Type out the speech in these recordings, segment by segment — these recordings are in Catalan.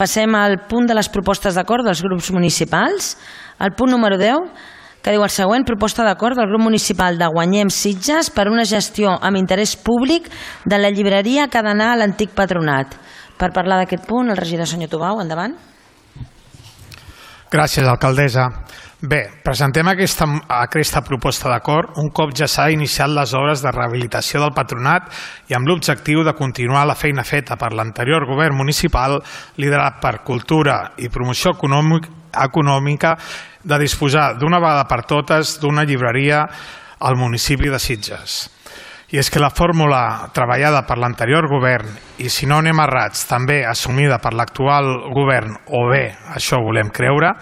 Passem al punt de les propostes d'acord dels grups municipals. El punt número 10, que diu el següent: proposta d'acord del grup municipal de Guanyem Sitges per una gestió amb interès públic de la llibreria que ha d'anar a l'antic patronat. Per parlar d'aquest punt, el regidor senyor Tubau, endavant. Gràcies, alcaldessa. Bé, presentem aquesta proposta d'acord un cop ja s'ha iniciat les obres de rehabilitació del patronat i amb l'objectiu de continuar la feina feta per l'anterior govern municipal liderat per Cultura i Promoció Econòmica de disposar d'una vegada per totes d'una llibreria al municipi de Sitges. I és que la fórmula treballada per l'anterior govern i, si no anem errats, també assumida per l'actual govern, o bé, això volem creure,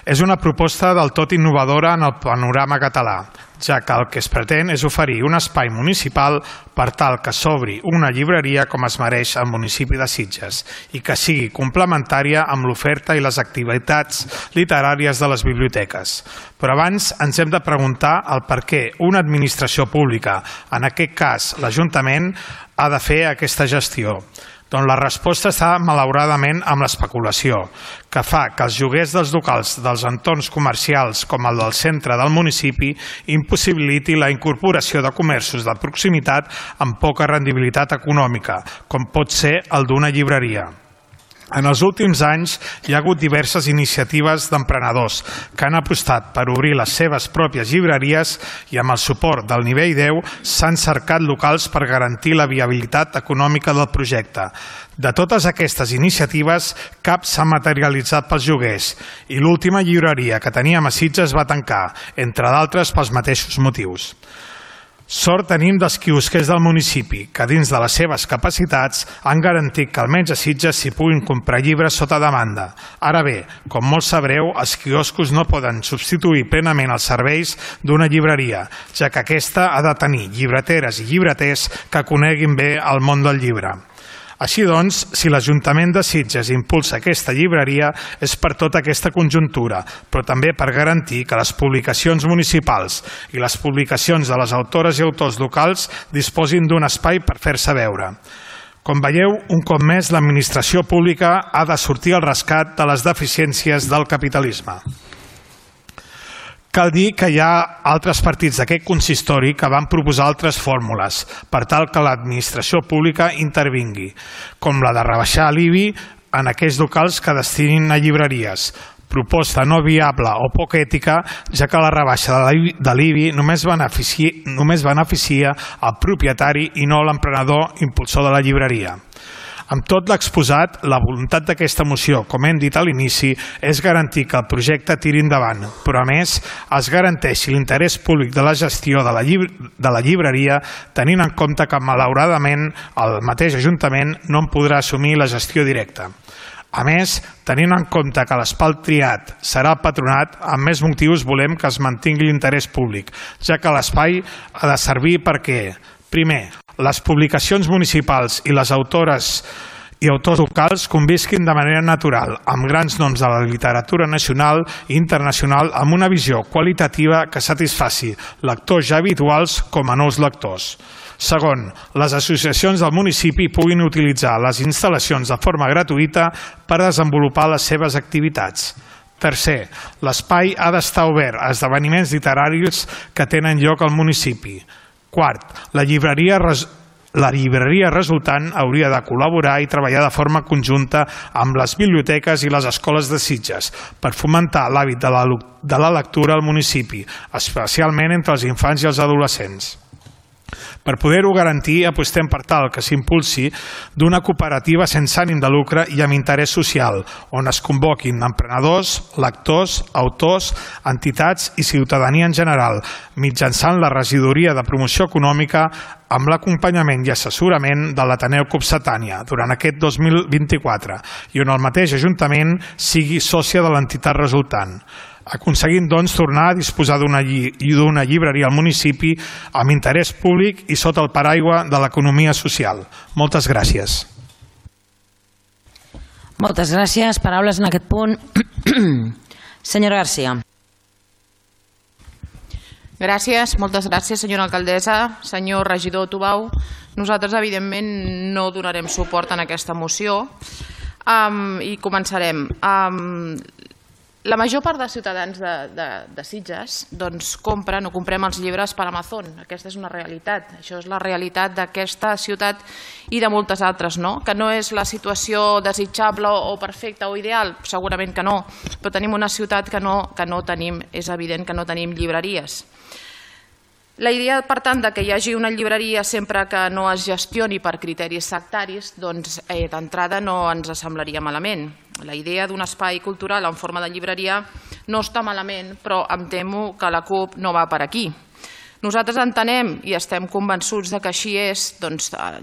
és una proposta del tot innovadora en el panorama català, ja que el que es pretén és oferir un espai municipal per tal que s'obri una llibreria com es mereix al municipi de Sitges i que sigui complementària amb l'oferta i les activitats literàries de les biblioteques. Però abans ens hem de preguntar el per què una administració pública, en aquest cas l'Ajuntament, ha de fer aquesta gestió. Doncs la resposta està malauradament amb l'especulació, que fa que els lloguers dels locals dels entorns comercials com el del centre del municipi impossibiliti la incorporació de comerços de proximitat amb poca rendibilitat econòmica, com pot ser el d'una llibreria. En els últims anys hi ha hagut diverses iniciatives d'emprenedors que han apostat per obrir les seves pròpies llibreries i amb el suport del nivell 10 s'han cercat locals per garantir la viabilitat econòmica del projecte. De totes aquestes iniciatives, cap s'ha materialitzat pels lloguers i l'última llibreria que teníem a Sitges va tancar, entre d'altres pels mateixos motius. Sort tenim dels quiosquers del municipi, que dins de les seves capacitats han garantit que almenys a Sitges s'hi puguin comprar llibres sota demanda. Ara bé, com molt sabreu, els quioscos no poden substituir plenament els serveis d'una llibreria, ja que aquesta ha de tenir llibreteres i llibreters que coneguin bé el món del llibre. Així doncs, si l'Ajuntament de Sitges impulsa aquesta llibreria és per tota aquesta conjuntura, però també per garantir que les publicacions municipals i les publicacions de les autores i autors locals disposin d'un espai per fer-se veure. Com veieu, un cop més l'administració pública ha de sortir al rescat de les deficiències del capitalisme. Cal dir que hi ha altres partits d'aquest consistori que van proposar altres fórmules per tal que l'administració pública intervingui, com la de rebaixar l'IBI en aquells locals que destinin a llibreries. Proposta no viable o poc ètica, ja que la rebaixa de l'IBI només beneficia el propietari i no l'emprenedor impulsor de la llibreria. Amb tot l'exposat, la voluntat d'aquesta moció, com hem dit a l'inici, és garantir que el projecte tiri endavant, però a més es garanteixi l'interès públic de la gestió de la llibreria, tenint en compte que malauradament el mateix Ajuntament no en podrà assumir la gestió directa. A més, tenint en compte que l'espai triat serà el patronat, amb més motius volem que es mantingui l'interès públic, ja que l'espai ha de servir perquè, primer, les publicacions municipals i les autores i autors locals convisquin de manera natural amb grans noms de la literatura nacional i internacional amb una visió qualitativa que satisfaci lectors ja habituals com a nous lectors. Segon, les associacions del municipi puguin utilitzar les instal·lacions de forma gratuïta per desenvolupar les seves activitats. Tercer, l'espai ha d'estar obert a esdeveniments literaris que tenen lloc al municipi. Quart, la llibreria resultant hauria de col·laborar i treballar de forma conjunta amb les biblioteques i les escoles de Sitges per fomentar l'hàbit de la lectura al municipi, especialment entre els infants i els adolescents. Per poder-ho garantir, apostem per tal que s'impulsi d'una cooperativa sense ànim de lucre i amb interès social, on es convoquin emprenedors, lectors, autors, entitats i ciutadania en general, mitjançant la regidoria de promoció econòmica amb l'acompanyament i assessorament de l'Ateneu Copsetània durant aquest 2024 i on el mateix Ajuntament sigui sòcia de l'entitat resultant, aconseguint doncs tornar a disposar d'una llibreria al municipi amb interès públic i sota el paraigua de l'economia social. Moltes gràcies. Moltes gràcies. Paraules en aquest punt. Senyora Garcia. Gràcies, moltes gràcies, senyora alcaldessa. Senyor regidor Tubau, nosaltres evidentment no donarem suport en aquesta moció. I començarem. La major part dels ciutadans de Sitges compren o comprem els llibres per Amazon. Aquesta és una realitat. Això és la realitat d'aquesta ciutat i de moltes altres, que no és la situació desitjable o perfecta o ideal, segurament que no, però tenim una ciutat que no tenim, és evident que no tenim llibreries. La idea, per tant, que hi hagi una llibreria sempre que no es gestioni per criteris sectaris, d'entrada no ens semblaria malament. La idea d'un espai cultural en forma de llibreria no està malament, però em temo que la CUP no va per aquí. Nosaltres entenem i estem convençuts que així és,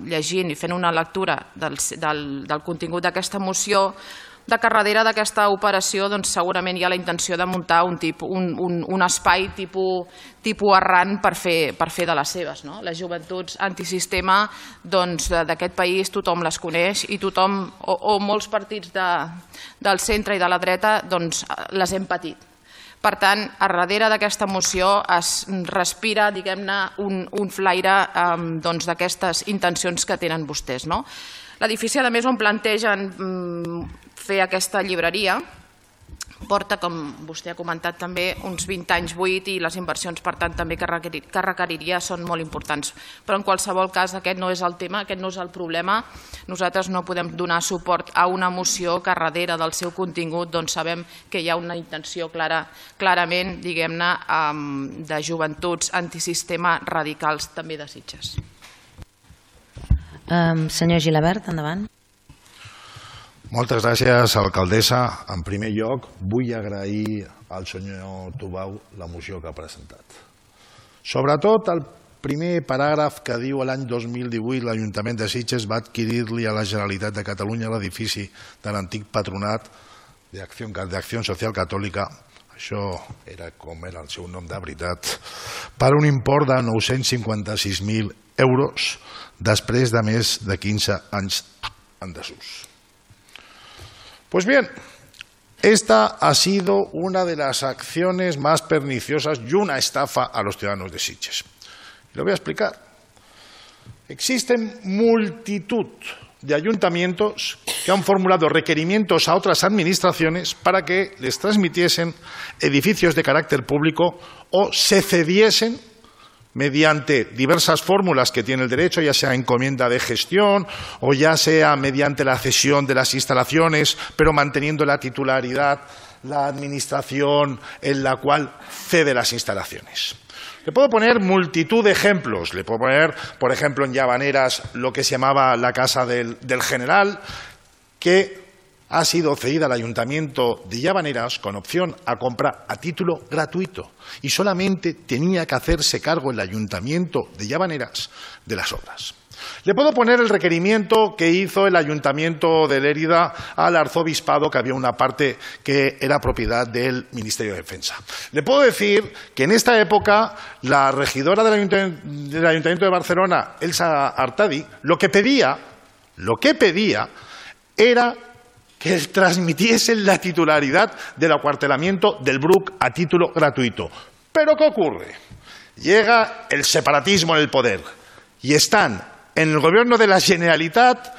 llegint i fent una lectura del contingut d'aquesta moció, que darrere d'aquesta operació segurament hi ha la intenció de muntar un espai tipus Arran per fer de les seves. Les joventuts antisistema d'aquest país tothom les coneix i tothom, o molts partits del centre i de la dreta, les hem patit. Per tant, a darrere d'aquesta moció es respira, diguem-ne, un flaire d'aquestes intencions que tenen vostès. L'edifici, a més, on plantegen fer aquesta llibreria porta, com vostè ha comentat també, uns 20 anys buit i les inversions, per tant, també que requeriria són molt importants. Però en qualsevol cas aquest no és el tema, aquest no és el problema. Nosaltres no podem donar suport a una moció que darrere del seu contingut sabem que hi ha una intenció clarament, diguem-ne, de joventuts antisistema radicals també de Sitges. Senyor Gilabert, endavant. Moltes gràcies, alcaldessa. En primer lloc, vull agrair al senyor Tubau la moció que ha presentat. Sobretot el primer paràgraf que diu l'any 2018 l'Ajuntament de Sitges va adquirir-li a la Generalitat de Catalunya l'edifici de l'antic patronat d'Acció Social Catòlica, això era com era el seu nom de veritat, per un import de 956.000 euros després de més de 15 anys en desús. Pues bien, esta ha sido una de las acciones más perniciosas y una estafa a los ciudadanos de Sitges. Lo voy a explicar. Existen multitud de ayuntamientos que han formulado requerimientos a otras administraciones para que les transmitiesen edificios de carácter público o se cediesen mediante diversas fórmulas que tiene el derecho, ya sea encomienda de gestión o ya sea mediante la cesión de las instalaciones, pero manteniendo la titularidad, la administración en la cual cede las instalaciones. Le puedo poner multitud de ejemplos. Le puedo poner, por ejemplo, en Llavaneras lo que se llamaba la Casa del General, que ha sido cedida al Ayuntamiento de Llavaneras con opción a compra a título gratuito y solamente tenía que hacerse cargo el Ayuntamiento de Llavaneras de las obras. Le puedo poner el requerimiento que hizo el Ayuntamiento de Lérida al Arzobispado, que había una parte que era propiedad del Ministerio de Defensa. Le puedo decir que en esta época la regidora del Ayuntamiento de Barcelona, Elsa Artadi, lo que pedía era que transmitiesen la titularidad del acuartelamiento del Bruc a título gratuito. ¿Pero qué ocurre? Llega el separatismo en el poder y están en el gobierno de la Generalitat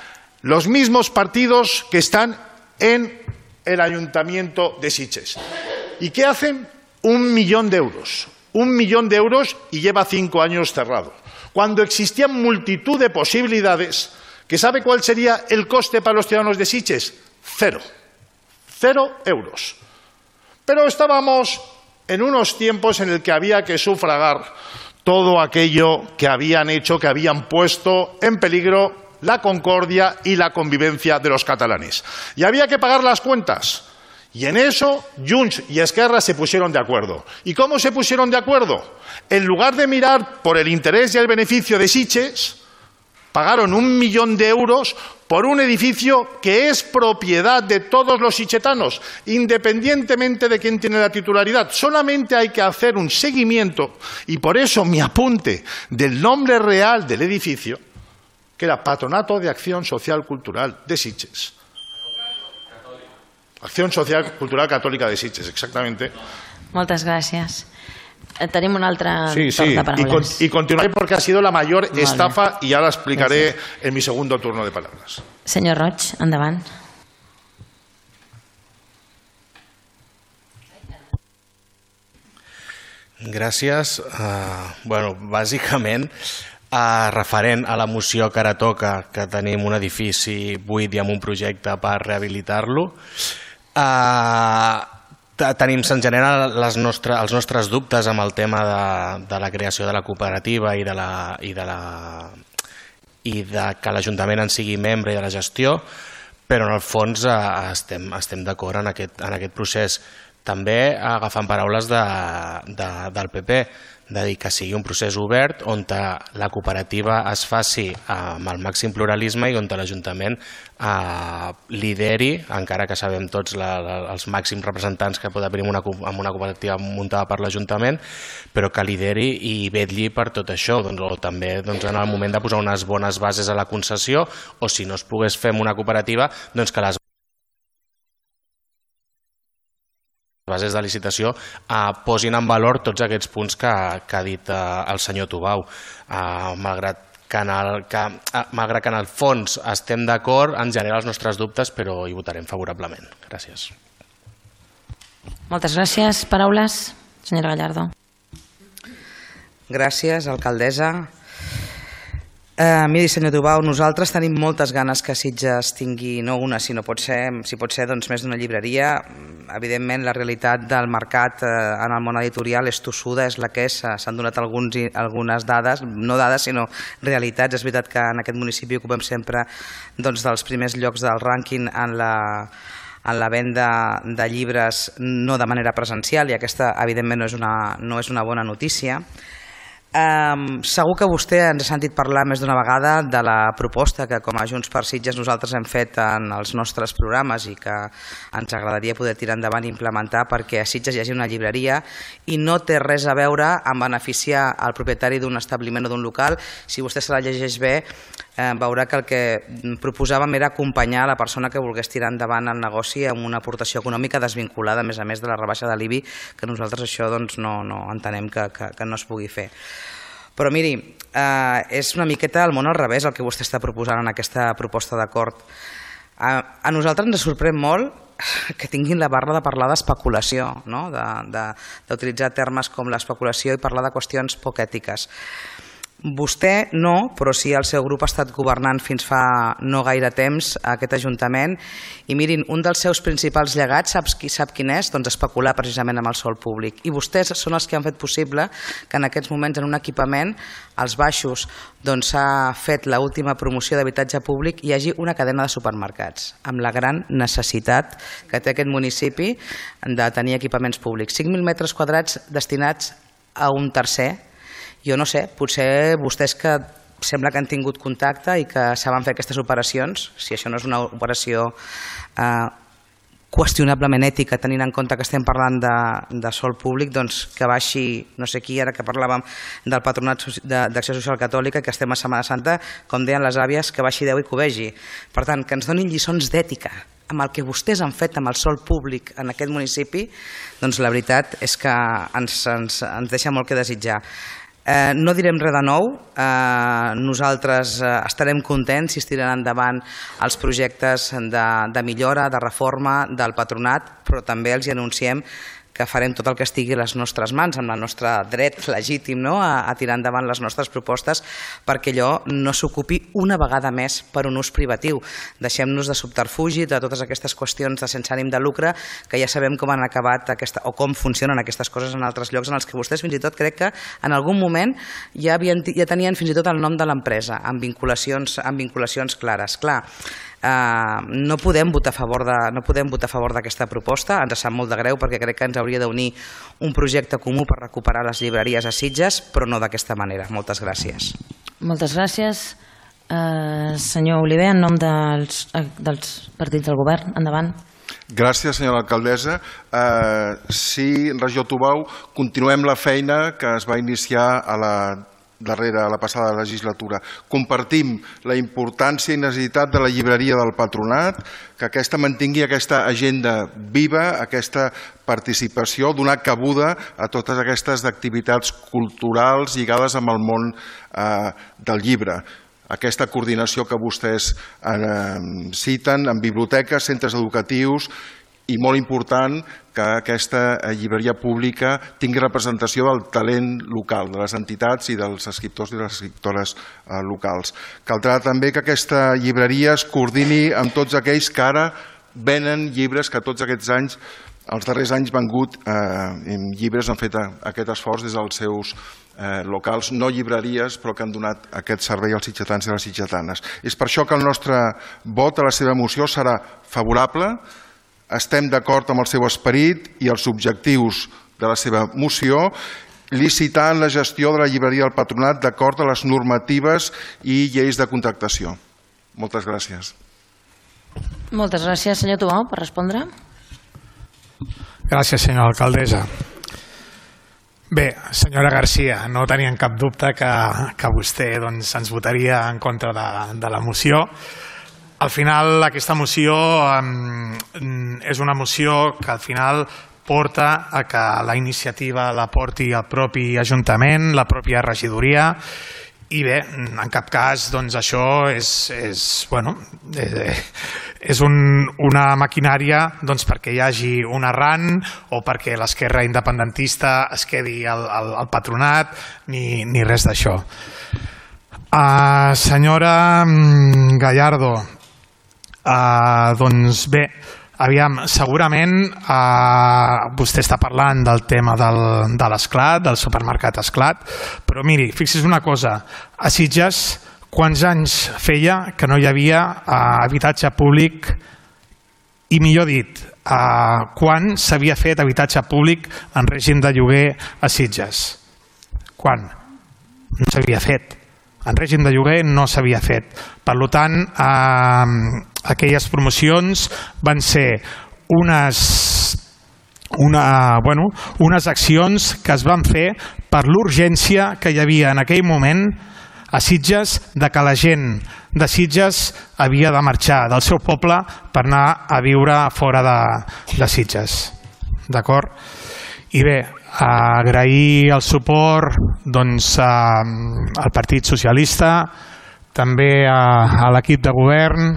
los mismos partidos que están en el Ayuntamiento de Sitges. ¿Y qué hacen? 1 millón de euros. 1 millón de euros y lleva 5 años cerrado. Cuando existían multitud de posibilidades, ¿que sabe cuál sería el coste para los ciudadanos de Sitges? 0 euros. Pero estábamos en unos tiempos en el que había que sufragar todo aquello que habían hecho, que habían puesto en peligro la concordia y la convivencia de los catalanes. Y había que pagar las cuentas. Y en eso Junts y Esquerra se pusieron de acuerdo. ¿Y cómo se pusieron de acuerdo? En lugar de mirar por el interés y el beneficio de Sitges, pagaron 1 millón de euros por un edificio que es propiedad de todos los sitgetanos, independientemente de quién tiene la titularidad. Solamente hay que hacer un seguimiento, y por eso mi apunte del nombre real del edificio, que era Patronato de Acción Social Cultural de Sitges. Acción Social Cultural Catòlica de Sitges, exactamente. Moltes gràcies. Tenim un altre torn de paraules. Y continuaré porque ha sido la mayor estafa y ahora explicaré en mi segundo turno de palabras. Senyor Roig, endavant. Gràcies. Bàsicament, referent a la moció que ara toca, que tenim un edifici buit i amb un projecte per rehabilitar-lo, se'n generen els nostres dubtes amb el tema de la creació de la cooperativa i de que l'Ajuntament en sigui membre i de la gestió, però en el fons estem d'acord en aquest procés. També agafant paraules del PP, de dir que sigui un procés obert on la cooperativa es faci amb el màxim pluralisme i on l'Ajuntament lideri, encara que sabem tots els màxims representants que pot haver en una cooperativa muntada per l'Ajuntament, però que lideri i vetlli per tot això, o també en el moment de posar unes bones bases a la concessió, o si no es pogués fer amb una cooperativa, que les bases de licitació posin en valor tots aquests punts que ha dit el senyor Tubau. Malgrat que en el fons estem d'acord, ens genera els nostres dubtes, però hi votarem favorablement. Gràcies. Moltes gràcies. Paraules, senyora Gallardo. Gràcies, alcaldessa. Miri, senyor Tubau, nosaltres tenim moltes ganes que Sitges tingui, no una, sinó si pot ser més d'una llibreria. Evidentment, la realitat del mercat en el món editorial és tossuda, és la que és. S'han donat algunes dades, no dades, sinó realitats. És veritat que en aquest municipi ocupem sempre dels primers llocs del rànquing en la venda de llibres, no de manera presencial, i aquesta, evidentment, no és una bona notícia. Segur que vostè ens ha sentit parlar més d'una vegada de la proposta que com a Junts per Sitges nosaltres hem fet en els nostres programes i que ens agradaria poder tirar endavant i implementar perquè a Sitges hi hagi una llibreria, i no té res a veure amb beneficiar el propietari d'un establiment o d'un local. Si vostè se la llegeix bé, veurà que el que proposàvem era acompanyar la persona que volgués tirar endavant el negoci amb una aportació econòmica desvinculada, a més de la rebaixa de l'IBI, que nosaltres això no entenem que no es pugui fer. Però miri, és una miqueta el món al revés el que vostè està proposant en aquesta proposta d'acord. A nosaltres ens sorprèn molt que tinguin la barra de parlar d'especulació, d'utilitzar termes com l'especulació i parlar de qüestions poc ètiques. Vostè no, però sí el seu grup ha estat governant fins fa no gaire temps a aquest Ajuntament, i mirin, un dels seus principals llegats, sap quin és? Doncs especular precisament amb el sòl públic. I vostès són els que han fet possible que en aquests moments en un equipament, als baixos, s'ha fet l'última promoció d'habitatge públic i hi hagi una cadena de supermercats, amb la gran necessitat que té aquest municipi de tenir equipaments públics. 5.000 metres quadrats destinats a un tercer. Jo no sé, potser vostès que sembla que han tingut contacte i que saben fer aquestes operacions, si això no és una operació qüestionablement ètica, tenint en compte que estem parlant de sòl públic, doncs que baixi, no sé qui, ara que parlàvem del Patronat d'Acció Social Catòlica, que estem a Setmana Santa, com deien les àvies, que baixi Déu i que ho vegi. Per tant, que ens donin lliçons d'ètica amb el que vostès han fet amb el sòl públic en aquest municipi, doncs la veritat és que ens deixa molt que desitjar. No direm res de nou, nosaltres estarem contents si es tiren endavant els projectes de millora, de reforma del patronat, però també els anunciem que farem tot el que estigui a les nostres mans, amb el nostre dret legítim a tirar endavant les nostres propostes perquè allò no s'ocupi una vegada més per un ús privatiu. Deixem-nos de subterfugi, de totes aquestes qüestions de sense ànim de lucre, que ja sabem com han acabat o com funcionen aquestes coses en altres llocs en els que vostès fins i tot crec que en algun moment ja tenien fins i tot el nom de l'empresa, amb vinculacions clares. Clar, no podem votar a favor d'aquesta proposta, ens sap molt de greu perquè crec que ens hauria d'unir un projecte comú per recuperar les llibreries a Sitges, però no d'aquesta manera. Moltes gràcies. Moltes gràcies. Senyor Oliver, en nom dels partits del govern, endavant. Gràcies, senyora alcaldessa. Sí, regió Tubau, continuem la feina que es va iniciar a la passada legislatura. Compartim la importància i necessitat de la llibreria del Patronat, que aquesta mantingui aquesta agenda viva, aquesta participació, donar cabuda a totes aquestes activitats culturals lligades amb el món del llibre. Aquesta coordinació que vostès citen en biblioteques, centres educatius i molt important que aquesta llibreria pública tingui representació del talent local, de les entitats i dels escriptors i les escriptores locals. Caldrà també que aquesta llibreria es coordini amb tots aquells que ara venen llibres, que tots aquests anys, els darrers anys, vengut llibres, han fet aquest esforç des dels seus locals, no llibreries, però que han donat aquest servei als sitgetans i les sitgetanes. És per això que el nostre vot a la seva moció serà favorable. Estem d'acord amb el seu esperit i els objectius de la seva moció, licitant la gestió de la llibreria del Patronat d'acord a les normatives i lleis de contractació. Moltes gràcies. Moltes gràcies, senyor Tubau, per respondre. Gràcies, senyora alcaldessa. Bé, senyora Garcia, no tenien cap dubte que vostè ens votaria en contra de la moció. Al final, aquesta moció és una moció que al final porta a que la iniciativa la porti el propi Ajuntament, la pròpia regidoria, i bé, en cap cas això és una maquinària perquè hi hagi un arran o perquè l'esquerra independentista es quedi al patronat ni res d'això. Senyora Gallardo, doncs bé, aviam, segurament vostè està parlant del tema de l'Esclat, del supermercat Esclat, però miri, fixi's una cosa, a Sitges quants anys feia que no hi havia habitatge públic, i millor dit, quan s'havia fet habitatge públic en règim de lloguer a Sitges? Quan? No s'havia fet. En règim de lloguer no s'havia fet. Per tant, aquelles promocions van ser unes accions que es van fer per l'urgència que hi havia en aquell moment a Sitges, de que la gent de Sitges havia de marxar del seu poble per anar a viure fora de Sitges. D'acord? I bé, agrair el suport al Partit Socialista, també a l'equip de govern,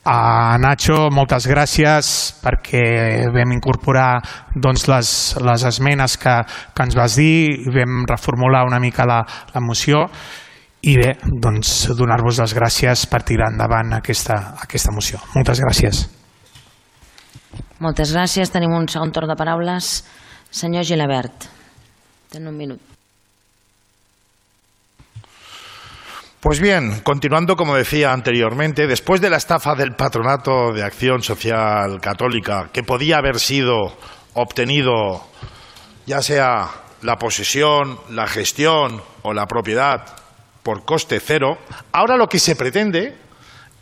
a Nacho, moltes gràcies perquè vam incorporar les esmenes que ens vas dir i vam reformular una mica la moció i bé, donar-vos les gràcies per tirar endavant aquesta moció. Moltes gràcies. Moltes gràcies. Tenim un segon torn de paraules. Senyor Gilabert, ten un minut. Pues bien, continuando como decía anteriormente, después de la estafa del Patronato de Acción Social Católica, que podía haber sido obtenido ya sea la posesión, la gestión o la propiedad por coste cero, ahora lo que se pretende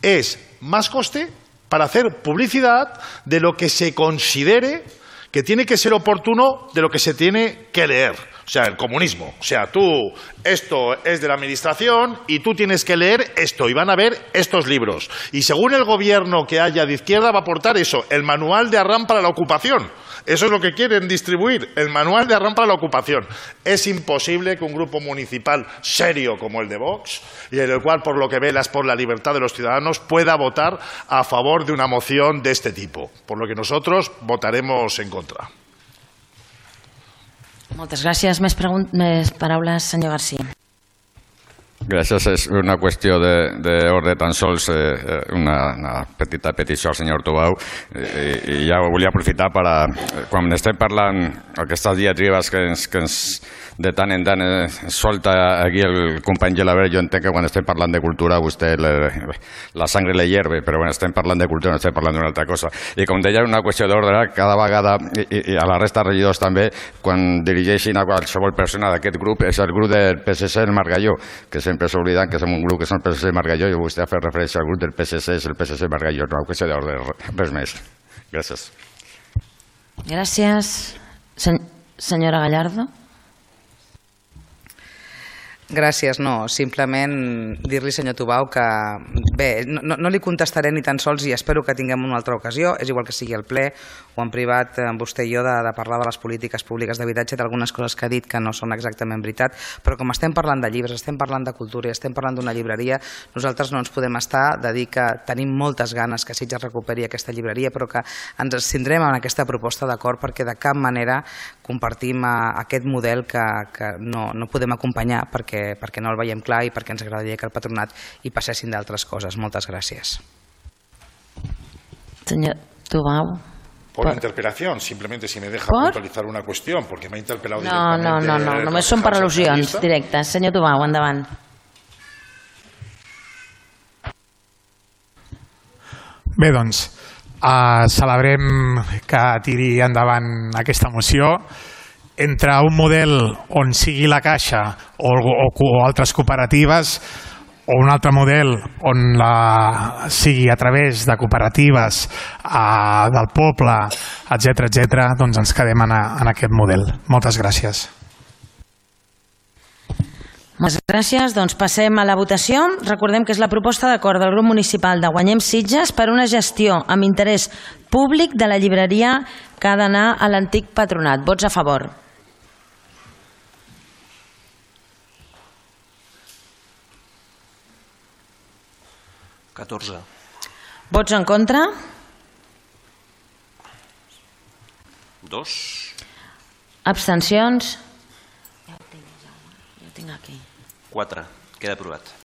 es más coste para hacer publicidad de lo que se considere que tiene que ser oportuno, de lo que se tiene que leer. O sea, el comunismo. O sea, esto es de la administración y tú tienes que leer esto y van a ver estos libros. Y según el gobierno que haya de izquierda va a aportar eso, el manual de Arran para la ocupación. Eso es lo que quieren distribuir, el manual de Arran para la ocupación. Es imposible que un grupo municipal serio como el de Vox, y en el cual por lo que velas por la libertad de los ciudadanos, pueda votar a favor de una moción de este tipo. Por lo que nosotros votaremos en contra. Moltes gràcies. Més paraules, senyor García. Gràcies. És una qüestió d'ordre, tan sols una petita petició al senyor Tubau, i ja ho volia aprofitar per quan estem parlant aquestes diatribes que ens de tant en tant solta aquí el company Gilabert. Jo entenc que quan estem parlant de cultura a vostè la sangre le hierve, però quan estem parlant de cultura no estem parlant d'una altra cosa. I com deia, una qüestió d'ordre, cada vegada, i a la resta de regidors també, quan dirigeixin a qualsevol persona d'aquest grup, és el grup del PSC, el Margalló, que sempre s'obliden que som un grup que és el PSC Margalló, i vostè ha fet referència al grup del PSC, és el PSC Margalló, no, qüestió d'ordre, res més. Gràcies. Gràcies. Senyora Gallardo. Gràcies, no, simplement dir-li, senyor Tubau, que bé, no li contestaré ni tan sols i espero que tinguem una altra ocasió, és igual que sigui al ple o en privat amb vostè i jo de parlar de les polítiques públiques d'habitatge, d'algunes coses que ha dit que no són exactament veritat, però com estem parlant de llibres, estem parlant de cultura i estem parlant d'una llibreria, nosaltres no ens podem estar de dir que tenim moltes ganes que Sitges recuperi aquesta llibreria, però que ens abstindrem en aquesta proposta d'acord perquè de cap manera compartim aquest model que no podem acompanyar perquè no el veiem clar i perquè ens agradaria que el patronat hi passessin d'altres coses. Moltes gràcies. Senyor Tubau. Por interpelación, simplemente si me deja puntualizar una cuestión, porque me ha interpelado directamente. No, només són per al·lusions directes. Senyor Tubau, endavant. Bé, doncs, celebrem que tiri endavant aquesta moció. Entre un model on sigui la Caixa o altres cooperatives o un altre model on sigui a través de cooperatives del poble, etc., doncs ens quedem en aquest model. Moltes gràcies. Moltes gràcies. Doncs passem a la votació. Recordem que és la proposta d'acord del grup municipal de Guanyem Sitges per una gestió amb interès públic de la llibreria que ha d'anar a l'antic patronat. Vots a favor. Vots en contra? 2. Abstencions? Ja ho tinc aquí. 4. Queda aprovat.